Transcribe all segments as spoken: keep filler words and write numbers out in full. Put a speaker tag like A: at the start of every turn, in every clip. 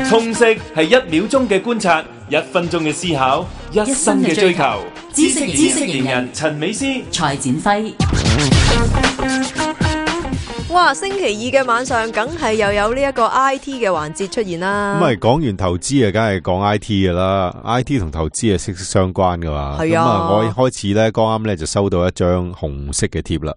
A: 通識係一秒鐘嘅觀察，一分鐘嘅思考，一生嘅追求。知識知識型人陳美詩、
B: 蔡展輝。
C: 哇！星期二嘅晚上，梗係又有呢一個 I T 嘅環節出現啦。
D: 咁咪講完投資啊，梗係講 I T 噶啦。I T 同投資係息息相關噶嘛。
C: 係啊。
D: 咁啊，我一開始咧，剛啱咧就收到一張紅色嘅貼啦。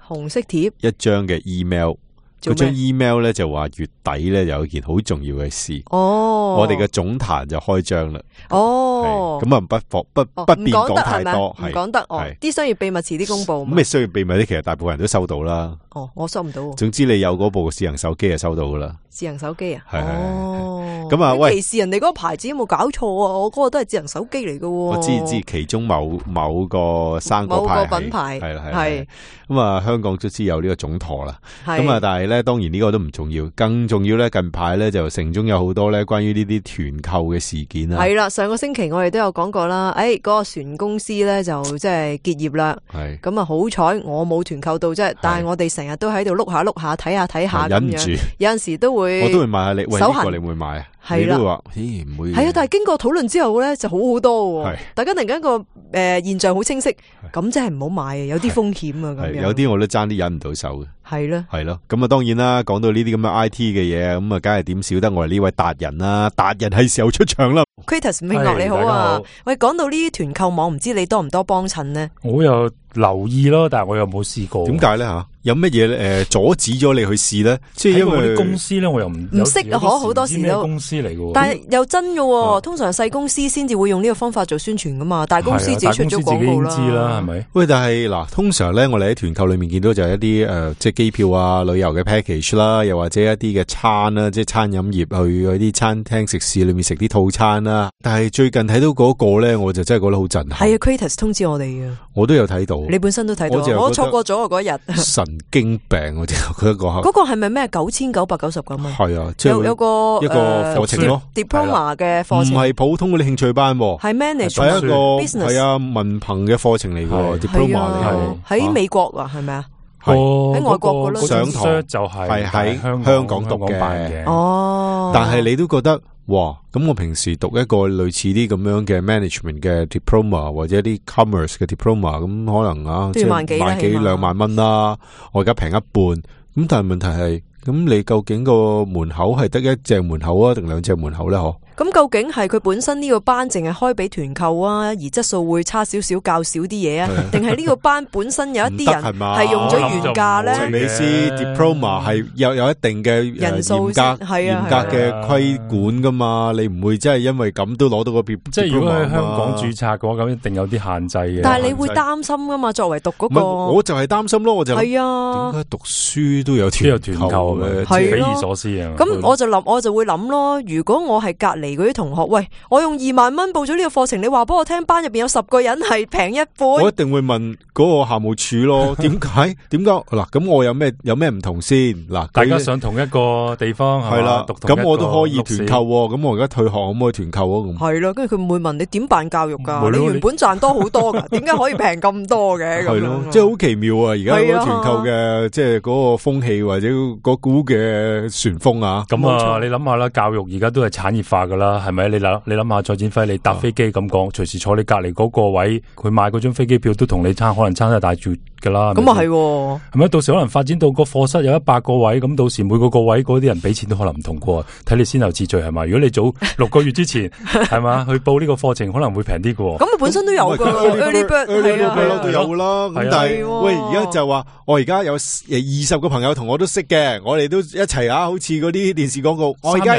C: 紅色貼，
D: 一張嘅 email。嗰張 email 咧就話月底咧有一件好重要嘅事。
C: 哦，
D: 我哋嘅總壇就開張啦。
C: 哦，
D: 咁啊不方不不便講太多，
C: 唔講得哦。啲商業秘密遲啲公布。
D: 咁咩商業秘密咧？其實大部分人都收到啦。
C: 哦，我收唔到。
D: 總之你有嗰部智能手機就收到噶啦。
C: 智能手機啊？
D: 係係
C: 哦。
D: 咁啊，喂，
C: 歧視人哋嗰個牌子有冇搞錯啊？我嗰個都係智能手機嚟噶。
D: 我知知其中某某個生果牌，
C: 某個品牌
D: 係啦係。
C: 係。
D: 咁啊，香港卒之有呢個總舵啦。
C: 咁
D: 啊，但係咧，當然呢個都唔重要，更重要咧，近排咧就城中有好多咧關於呢啲團購嘅事件啦。
C: 係啦，上個星期我哋都有講過啦。誒、哎，嗰、那個船公司咧就即係結業啦。
D: 係。
C: 咁啊，好彩我冇團購到啫，但係我哋成日都喺度碌下碌下睇下睇下咁樣。忍唔住。有陣時都會。
D: 我都會問下你，喂，呢、這個你會買啊？
C: 係啦，
D: 你都話，咦，唔會。
C: 係啊，但係經過討論之後咧，就好好多。係，大家突然間個誒、呃、現象好清晰，咁真係唔好買啊，有啲風險啊，咁樣。
D: 有啲我都爭啲忍唔到手嘅。
C: 係咯，
D: 係咯，咁啊，當然啦，講到呢啲咁嘅 I T 嘅嘢，咁啊，梗係點少得我哋呢位達人啦，達人係時候出場啦。
C: Kratos 明樂你好啊，喂，講到呢啲團購網，唔知你多唔多幫襯呢？
E: 我有留意咯，但係我又冇試過。
D: 點解咧吓？有乜嘢誒阻止咗你去試咧？即係因為
E: 啲公司咧，我又唔
C: 唔識啊，可好多時都
E: 公司嚟嘅。
C: 但係又真嘅，通常細公司先至會用呢個方法做宣傳噶嘛，大公司自己出咗廣告啦。
E: 知啦，係咪？
D: 喂，但係嗱，通常咧，我哋喺團購裏面見到就係一啲誒、呃，即係機票啊、旅遊嘅 package 啦，又或者一啲嘅餐啦，即係餐飲業去嗰啲餐廳食肆裏面食啲套餐啦。但係最近睇到嗰個咧，我就真係覺得好震撼。
C: 係啊 Kratos 通知我哋嘅，
D: 我都有睇到。你
C: 本身都睇到，我，我錯過咗嗰日。
D: 神經病，我就覺得嗰
C: 嗰個係咪咩九千九百九十咁啊？
D: 係啊，即係
C: 有有個
D: 一個課程咯
C: ，diploma 嘅課程，
D: 唔係普通嗰啲興趣班，
C: 係 manage
D: 係一個
C: business，
D: 係啊文憑嘅課程嚟嘅 diploma 嚟。
C: 喺美國啊，係咪啊？
D: 係
C: 喺外國嗰度
D: 上堂
E: 就
D: 係喺香港讀嘅。
C: 哦，
D: 但係你都覺得哇，咁我平時讀一個類似啲咁樣嘅 management 嘅 diploma 或者啲 commerce 嘅 diploma，咁可能啊，
C: 即係萬幾
D: 萬幾兩萬蚊啦，我而家平一半。咁但係問題係，咁你究竟個門口係得一隻門口啊，定兩隻門口咧？嗬？
C: 咁究竟係佢本身呢個班淨係開俾團購啊，而質素會差少少，較少啲嘢啊？定係呢個班本身有一啲人係用咗原價咧？
D: 陳美詩 diploma 係有有一定嘅人數嚴格嚴格嘅規管噶嘛？你唔會真係因為咁都攞到個 diploma？
E: 即係如果喺香港註冊嘅話，咁一定有啲限制嘅。
C: 但係你會擔心噶嘛？作為讀嗰個，
D: 我就係擔心咯，我就
C: 係啊，
D: 點解讀書都有團購嘅？
E: 匪夷所思啊！
C: 咁我就諗，我就會諗咯。如果我係隔籬嗰啲同學，喂，我用二萬蚊報咗呢個課程，你話俾我聽，班入邊有十個人係平一半，
D: 我一定會問嗰個校務處咯。點解？點解？嗱，咁我有咩有咩唔同先？嗱，
E: 大家上同一個地方係啦，
D: 咁我都可以團購。咁我而家退學可唔可以團購啊？咁
C: 係啦，跟住佢會問你點辦教育噶？你原本賺多好多噶，點解可以平咁多嘅？
D: 係咯，即係好奇妙啊！而家嗰個團購嘅即係嗰個風氣或者嗰股嘅旋風啊！
E: 咁啊，你諗下啦，教育而家都係產業化噶啦，係咪？你諗你諗下，蔡展輝，你搭飛機咁講，隨時坐你隔籬嗰個位，佢買嗰張飛機票都同你差，可能差得大絕噶啦。
C: 咁啊係，係
E: 咪？到時可能發展到個課室有一百個位，咁到時每個個位嗰啲人俾錢都可能唔同過，睇你先後次序係嘛？如果你早六個月之前係嘛去報呢個課程，可能會平啲嘅。
C: 咁佢本身都有噶 ，early bird 係啊，
D: 都有啦。咁但係喂，而家就話我而家有誒二十個朋友同我都識嘅，我哋都一齊啊，好似嗰啲電視廣告。我而家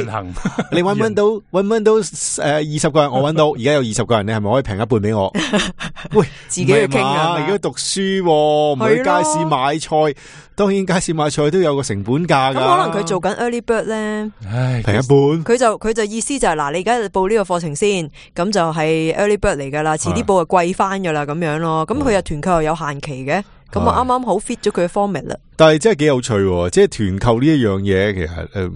D: 你搵唔搵到？搵唔搵到？誒，二十個人我搵到，而家有二十個人，你係咪可以平一半俾我？喂，
C: 自己去傾啊！
D: 而家讀書唔去街市買菜，當然街市買菜都有個成本價噶。
C: 咁可能佢做緊 early bird 咧，
D: 平一半。
C: 佢就佢就意思就係、是、嗱，你而家報呢個課程先，咁就係 early bird 嚟噶啦，遲啲報就貴翻噶啦，咁樣咯。咁佢又團購又有限期嘅。咁啊，啱啱好 fit 咗佢嘅 format 啦。
D: 但係真係幾有趣喎，即係團購呢一樣嘢，其實誒、呃，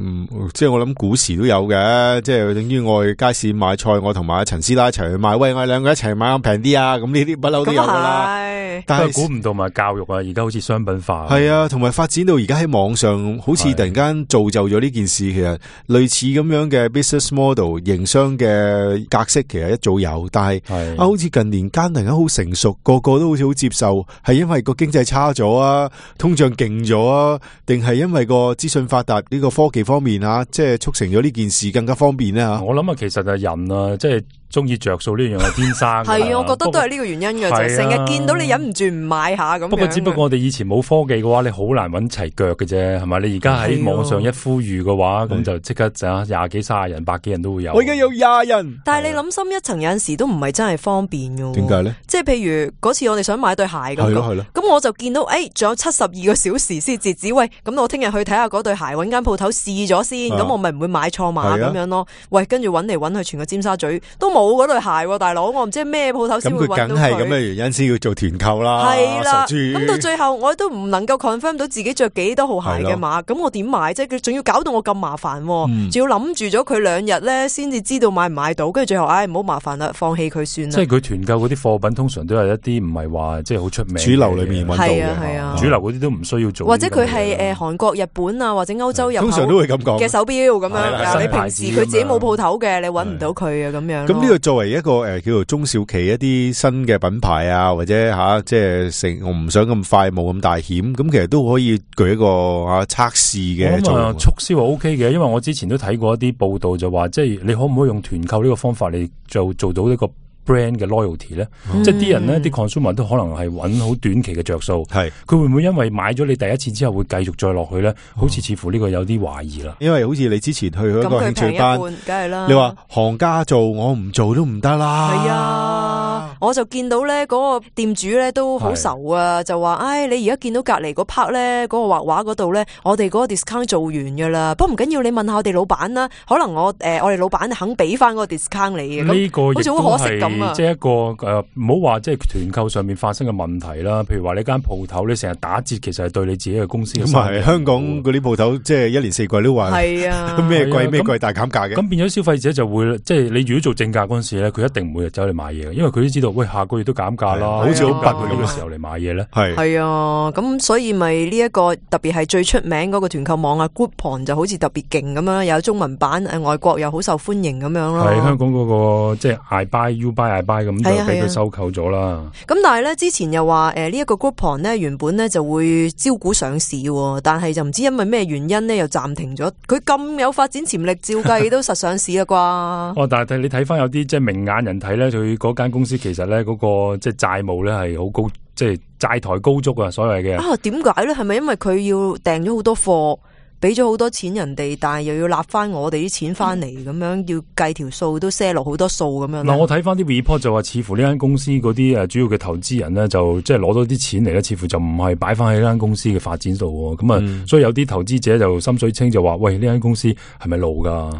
D: 即係我諗古時都有嘅，即係等於我去街市買菜，我同埋阿陳師奶一齊去買，喂，我哋兩個一齊買咁平啲啊，咁呢啲不嬲都有噶啦。
E: 但係估唔到埋教育啊，而家好似商品化。
D: 係啊，同埋發展到而家喺網上，好似突然間造就咗呢件事。其實類似咁樣嘅 business model 營商嘅格式，其實一早有，但係啊，好似近年間突然間好成熟，個個都好似好接受，係因為個經濟差咗啊，通脹勁咗啊，定係因為個資訊發達呢個科技方面啊，即係促成咗呢件事更加方便咧吓。
E: 我諗啊，其實係人啊，即係。中意着數呢樣係天生嘅，
C: 係啊，我覺得都係呢個原因嘅啫。成日見到你忍唔住唔買下咁樣。
E: 不過只不過我哋以前冇科技嘅話，你好難揾齊腳嘅啫，係咪？你而家喺網上一呼籲嘅話，咁就即刻就廿幾卅人、百幾人都會有。
D: 我而家有廿人，
C: 但係你諗深一層，有陣時都唔係真係方便嘅。
D: 點解咧？
C: 即係譬如嗰次我哋想買對鞋咁，
D: 係咯係咯。
C: 咁我就見到誒，仲有七十二個小時先截止。喂，咁我聽日去睇下嗰對鞋，揾間鋪頭試咗先，咁我咪唔會買錯碼咁樣咯。喂，跟住揾嚟揾去，全個尖沙咀都冇嗰對鞋。大佬，我唔知咩鋪頭先會揾到佢。咁佢梗係咁嘅原
D: 因先要做團購啦。
C: 係啦，咁到最後我都唔能夠 confirm 到自己着幾多號鞋嘅碼，咁我點買啫？佢仲要搞到我咁麻煩，仲、嗯、要諗住咗佢兩日咧，先至知道買唔買到，跟住最後唉，唔好麻煩啦，放棄佢算啦。
E: 即係佢團購嗰啲貨品，通常都係一啲唔係話即係好出名
D: 主流裏面揾到嘅，
C: 係啊係啊，
E: 主流嗰啲都唔需要做。
C: 或者佢係誒韓國、日本啊，或者歐洲入口
D: 通常都會咁講
C: 嘅手錶咁樣。你平時佢自己冇鋪頭嘅，你揾唔到佢啊咁樣。
D: 咁呢個作為一個誒、呃、叫做中小企一啲新嘅品牌啊，或者吓、啊、即係成我唔想咁快冇咁大險，咁其實都可以舉一個啊測試嘅作用。
E: 促銷係 O K 嘅，因為我之前都睇過一啲報道就話，即係你可唔可以用團購呢個方法嚟做做到呢個 brand 嘅 loyalty 咧、嗯？即係啲人咧，啲 consumer 都可能係揾好短期嘅着數。係佢會唔會因為買咗你第一次之後會繼續再落去咧？好似似乎呢個有啲懷疑啦。
D: 因為好似你之前去一個興趣班，
C: 梗係啦。
D: 你話行家做，我唔做都唔得啦。
C: 係啊，我就見到咧嗰個店主咧都好愁啊，就話：，唉，你而家見到隔離嗰 part 咧，嗰個畫畫嗰度咧，我哋嗰個 discount 做完噶啦。不過唔緊要，你問下我哋老闆啦，可能我誒、呃、我哋老闆肯俾翻嗰個 discount 你嘅。
E: 呢、這個
C: 好似好可惜咁啊！
E: 即係一個誒，唔好話即係團購上面發生嘅問題啦。譬如話你間鋪頭，你成日打折，其實係對你自己嘅公司嘅。咁係
D: 香港嗰啲鋪頭，即係一年四季都話係啊，咩貴咩貴大減價嘅。
E: 咁變咗消費者就會，即係你如果做正價嗰陣時咧，佢一定唔會走去買嘢，因為佢都知道，喂，下個月都減價啦，好似好逼佢呢個時候嚟買嘢咧。
C: 係係啊，咁所以咪呢一個特別係最出名嗰個團購網啊 Groupon 就好似特別勁咁樣，有中文版，誒外國又好受歡迎咁樣咯。
E: 係香港嗰、那個即係 I buy you buy I buy 咁就俾佢收購咗啦。
C: 咁但係咧之前又話誒呢一個 Groupon 咧原本咧就會招股上市，但係就唔知因為咩原因咧又暫停咗。佢咁有發展潛力，照計都實上市啦啩。
E: 哦，但係你睇翻有啲即係明眼人睇咧，佢嗰間公司其實咧嗰、那個即係債務咧係好高，即係債台高築啊，所謂嘅。啊，點解咧？係咪因為佢要訂咗好多貨？俾咗好多錢人哋，但係又要納翻我哋啲錢翻嚟，咁、嗯、樣要計條數都賒落好多數咁樣。嗱，我睇翻啲 report 就話，似乎呢間公司嗰啲誒主要嘅投資人咧，就即係攞咗啲錢嚟咧，似乎就唔係擺翻喺呢間公司嘅發展度。咁啊、嗯，所以有啲投資者就心水清就話：喂，呢間公司係咪路噶？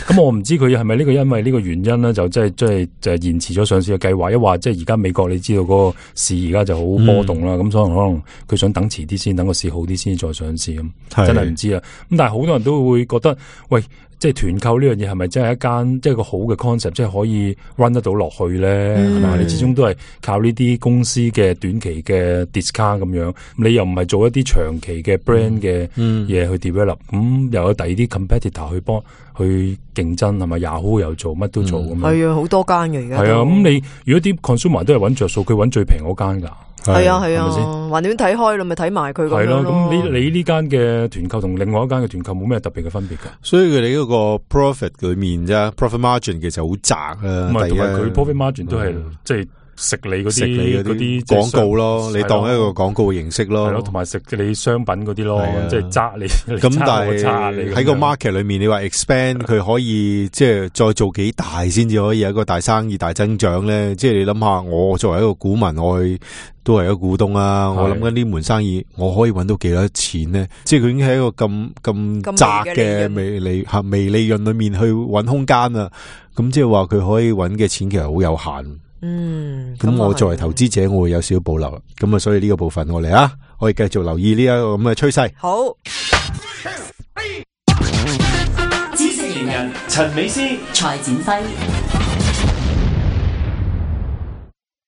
E: 咁我唔知佢係咪呢個因為呢個原因咧，就即係即係就係延遲咗上市嘅計劃。一話即係而家美國你知道嗰個市而家就好波動啦，咁、嗯、所以可能佢想等遲啲先，等個市好啲先再上市咁，真係唔知啦。咁但係好多人都會覺得，喂，即係團購呢樣嘢係咪真係一間即係個好嘅 concept，即係可以 run 得到落去咧？係、嗯、咪？你始終都係靠呢啲公司嘅短期嘅 discount 咁樣，你又唔係做一啲長期嘅 brand 嘅嘢去 develop，咁、嗯、又有第二啲 competitor 去幫去競爭，係咪 Yahoo 又做乜都做咁樣？係啊，好多間嘅而家。係啊，咁你如果啲 consumer 都係揾着數，佢揾最平嗰間㗎。係啊係啊，橫掂睇開啦，咪睇埋佢咁樣咯。係咯，咁你你呢間嘅團購同另外一間嘅團購冇咩特別嘅分別噶？所以佢哋嗰個 profit 裏面啫 ，profit margin 其實好窄啊。唔係，同埋佢 profit margin 都係即係食你嗰啲嗰啲廣告咯，你當一個廣告嘅形式咯。係咯，同埋食你商品嗰啲咯，即係揸你。咁但係喺個 market 裏面，你話 expand 佢可以即係再做幾大先至可以有一個大生意大增長咧？即係你諗下，我作為一個股民，我去。都係一個股東啊！我諗緊呢門生意，我可以揾到幾多錢呢？即係佢已經喺一個咁咁窄嘅微利吓微利潤裏面去揾空間啊！咁即係話佢可以揾嘅錢其實好有限。嗯，咁我作為投資者，我會有少少保留。咁啊，所以呢個部分我嚟啊！
D: 我哋繼續留意呢一個咁嘅趨勢。
C: 好，
A: 知識型人陳美詩、
B: 蔡展輝。